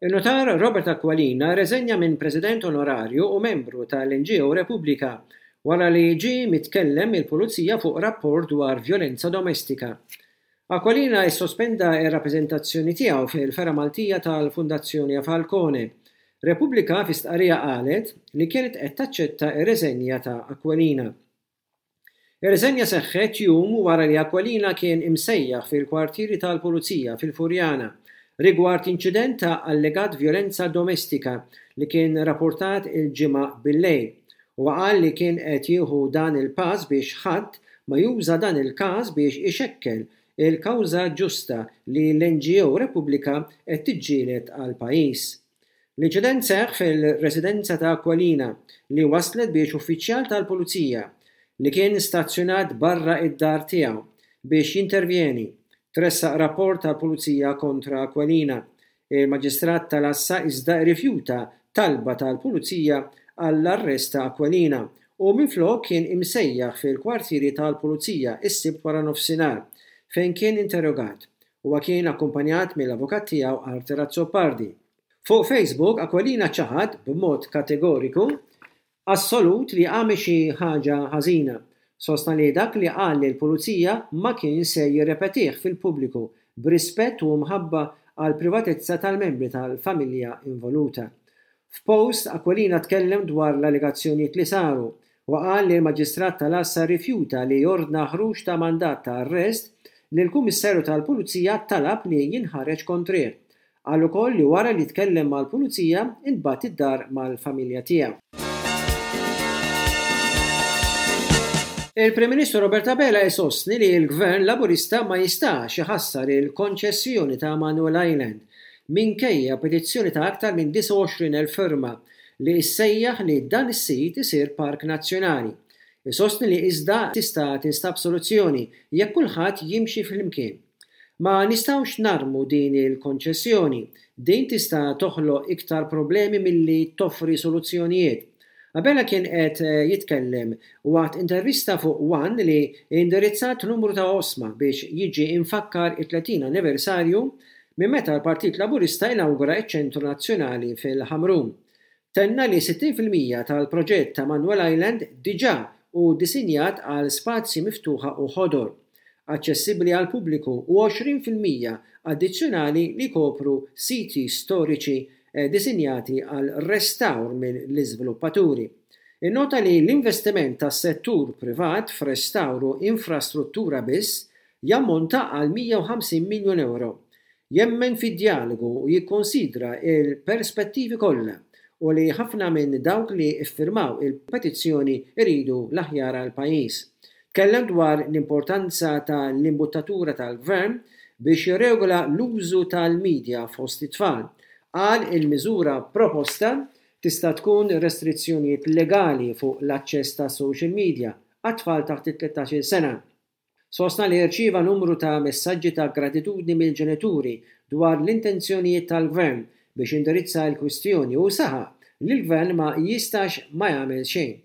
In-Nutar Robert Aquilina rreżenja minn President Onorarju u membru tal-NGO Repubblika wara li ġie mitkellem mill-Pulizija fuq rapport dwar vjolenza domestika. Aquilina issospenda r-rappreżentazzjoni tiegħu fil-fergħa Maltija tal-Fundazzjoni Falcone. Repubblika fi stqarrija qalet li kienet qed taċċetta r-reżenja ta' Aquilina. Ir-riżenja seħħet jum wara li Aquilina kien imsejjaħ fil-kwartieri tal-Pulizija fil-Furjana rigward inċident ta' allegat vjolenza domestika li kien rapportat il-Ġimgħa bil-lejl. Huwa qal li kien qed jieħu dan il-pass biex ħadd ma juża dan il-każ biex ixekkel il-kawża ġusta li l-NGO Repubblika qed tiġġieled għall-pajjiż. L-inċident seħħ fil-residenza ta' Aquilina li wasslet biex uffiċjal tal-Pulizija, li kien stazzjonat barra d-dar tiegħu biex jintervjeni, tressaq rapport tal-Pulizija kontra Aquilina. Il-Maġistrat tal-Għassa iżda rrifjuta talba tal-Pulizija għall-arrest ta' Aquilina u minflok kien imsejjaħ fil-kwartieri tal-Pulizija s-Sibt waranofsinhar fejn kien interrogat. Huwa kien akkumpanjat mill-avukat tiegħu Arthur Azzopardi. Fuq Facebook, Aquilina ċaħad b'mod kategoriku assolut li għamel xi ħaġa ħażina. Sostna li dak li qal lill-pulizija ma kien se jirrepetih fil-pubbliku b'rispett u mħabba għall-privatezza tal-membri tal-familja involuta. F'post, Aquilina tkellem dwar l-allegazzjonijiet li saru u qal li l-Maġistrat tal-Għassa rrifjuta li jordna ħruġ ta' mandat ta' arrest li l-Kummissarju tal-Pulizija talab li jinħareġ kontrih. Qal ukoll li wara li tkellem mal-Pulizija intbagħat id-dar mal-familja tiegħu. Il-Prim Ministru Robert Abela jsostni li l-Gvern Laburista ma jistax iħassar il-konċessjoni ta' Manuel Island minkejja petizzjoni ta' aktar minn 29,000 firma li ssejjaħ li dan is-sit isir park nazzjonali. Isostni li iżda tista' tinstab soluzzjoni jekk kulħadd jimxi flimkien. Ma nistgħux narmu din il-konċessjoni. Din tista' toħloq iktar problemi milli toffri soluzzjonijiet. Abela kien qed jitkellem waqt intervista fuq one li indirizzat numru ta' oqsma biex jiġi mfakkar it-30 anniversarju minn meta l-Partit Laburista inawgura ċ-Ċentru Nazzjonali fil-Ħamrun. Tenna li 60% tal-proġett ta' Manuel Island diġà hu disinjat għal spazji miftuħa u ħodor, aċċessibbli għall-pubbliku u 20% addizzjonali li jkopru siti storiċi disinjati għal restawr mill-iżviluppaturi. Innota li l-investiment tas-settur privat f'restawr u infrastruttura biss jammonta għal 150 miljun ewro. Jemmen fid-djalogu u jikkonsidra l-perspettivi kollha u li ħafna minn dawk li ffirmaw il-petizzjoni jridu l-aħjar għall-pajjiż. Tkellem dwar l-importanza ta' l-imbuttatura tal-Gvern biex jirregola l-użu tal-media fost it-tfal. Qal il-miżura proposta tista' tkun restrizzjonijiet legali fuq l-aċċess ta' social media għat-tfal taħt it-tlettax-il sena. Sostna li rċieva numru ta' messaġġi ta' gratitudni mill-ġenituri dwar l-intenzjonijiet tal-Gvern biex jindirizza l-kwistjoni u saħaq li l-Gvern ma jistax ma jagħmel xejn.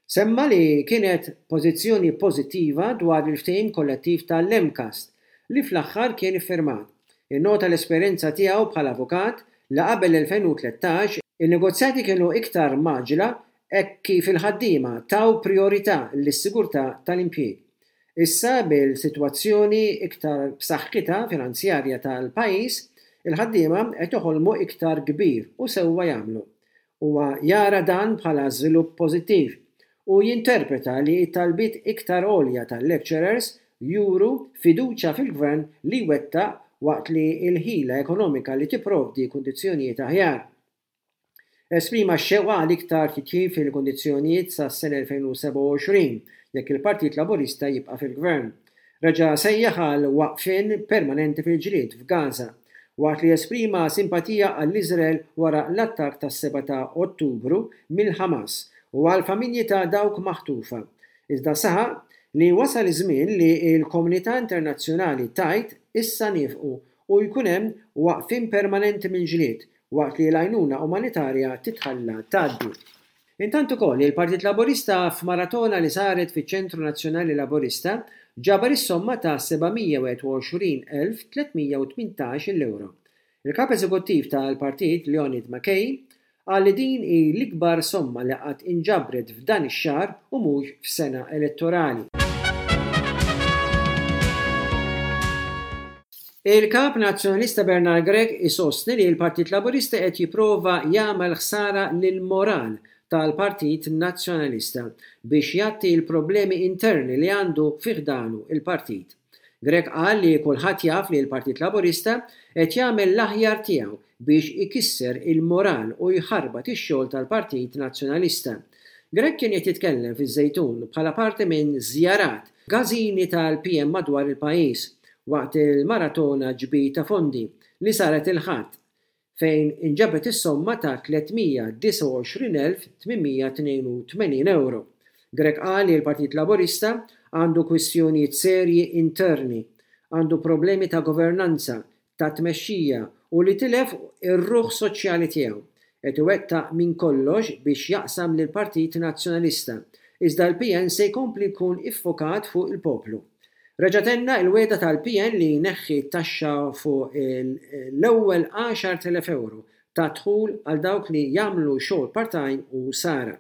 Semma li kienet pożizzjoni pożittiva dwar il-ftehim kollettiv tal-MCAST li fl-aħħar kien iffirmat. Innota l-esperjenza tiegħu bħala avukat li qabel l-2013 in-negozjati kienu iktar mgħaġġla hekk kif il-ħaddiema taw prijorità lis-sigurtà tal-impjieg. Issa bil-sitwazzjoni iktar b'saħħitha finanzjarja tal-pajjiż, il-ħaddiema qed joħolmu iktar kbir u sewwa jagħmlu. Huwa jara dan bħala żvilupp pożittiv u jinterpreta li t-talbiet iktar għolja tal-lecturers juru fiduċja fil-Gvern li jwettaq waqt li l-ħila ekonomika li tipprovdi kundizzjonijiet aħjar. Esprima x-xewqa għal iktar titjib fil-kundizzjonijiet sas-sena 2027 jekk il-Partit Laburista jibqa' fil-Gvern. Reġa' sejjaħ għal waqfien permanenti fil-ġlied f'Gaza, waqt li esprima simpatija għall-Iżrael wara l-attakk tas-7 ta' Ottubru mill-Ħamas u għall-familji ta' dawk maħtufa. Iżda saħaq li wasal iż-żmien li l-komunità internazzjonali tgħid issa niefqu u jkun hemm waqfien permanenti mill-ġlied waqt li l-għajnuna umanitarja titħalla tgħaddi. Intant ukoll, il-Partit Laburista f'maratona li saret fiċ-Ċentru Nazzjonali Laburista ġabar is-somma ta' 721,318 il ewro. Il-Kap Eżekuttiv tal-Partit Leonid McKay qal li din hi l-ikbar somma li qatt inġabret f'dan ix-xahar u mhux f'sena elettorali. Il-Kap Nazzjonalista Bernard Grech isostni li l-Partit Laburista qed jipprova jagħmel ħsara lill-moral tal-Partit Nazzjonalista biex jgħatti l-problemi interni li għandu fi ħdanu l-partit. Grech qal li kulħadd jaf li l-Partit Laburista qed jagħmel l-aħjar tiegħu biex ikisser il-moral u jħarbat ix-xogħol tal-Partit Nazzjonalista. Grech kien qed jitkellem fiż-Żejtun bħala parti minn żjarat f'gażini tal-PN madwar il-pajjiż waqt il-maratona ġbir ta' fondi li saret il-Ħadd fejn inġabret is-somma ta' 329,882 ewro. Grech qal li l-Partit Laburista għandu kwistjonijiet serji interni, għandu problemi ta' governanza, ta' tmexxija u li tilef ir-ruħ soċjali tiegħu. Qed iwettaq minn kollox biex jaqsam lill-Partit Nazzjonalista, iżda l-PN se jkompli jkun iffokat fuq il-poplu. Reġa' tenna l-wegħda tal-PN li jneħħi t-taxxa fuq l-ewwel 10,000 ewro ta' dħul għal dawk li jagħmlu xogħol part-time u sara.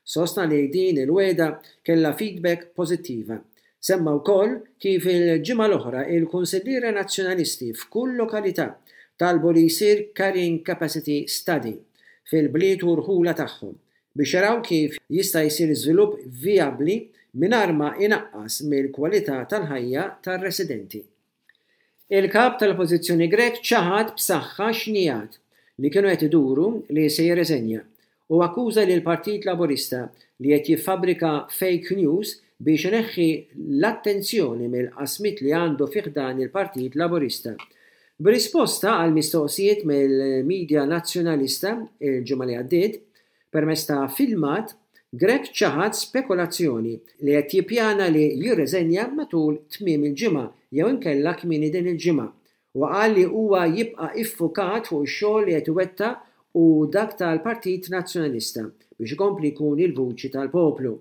Sostna li din il-wegħda kellha feedback pożittiva. Semma wkoll kif il-ġimgħa l-oħra il-Kunsilliera Nazzjonalisti f'kull lokalità talbu li jsir carrying capacity study fil-bliet u rħula tagħhom biex jaraw kif jista' jsir żvilupp vijabbli mingħajr ma jnaqqas mill-kwalità tal-ħajja tar-residenti. Il-Kap tal-Oppożizzjoni Grech ċaħad b'saħħa xnigħat li kienu qed iduru li se jirreżenja u akkuża lill-Partit Laburista li qed jiffabbrika fake news biex ineħħi l-attenzjoni mill-qasmiet li għandu fi ħdan il-Partit Laburista. B'risposta għal mistoqsijiet mill-media Nazzjonalista l-ġimgħa li għaddiet, permezz ta' filmat, Grech ċaħad spekulazzjoni li qed jippjana li jirreżenja matul tmiem il-ġimgħa jew inkella kmieni din il-ġimgħa. Huwa qal li huwa jibqa' iffukat fuq ix-xogħol li qed iwettaq u dak tal-Partit Nazzjonalista biex ikompli jkun il-vuċi tal-poplu.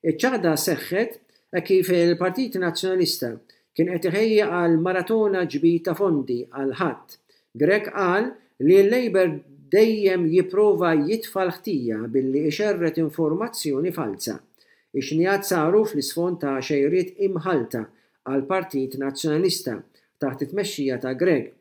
Iċ-ċaħda seħħet hekk kif il-Partit Nazzjonalista kien qed iħejji għal maratona ġbir ta' fondi għall-Ħadd. Grech qal li l-Labour dejjem jipprova jitfa' l-ħtija billi ixerred informazzjoni falza. Ix-xnigħat saru fl-isfond ta' xejriet imħallta għall-Partit Nazzjonalista taħt it-tmexxija ta' Grech.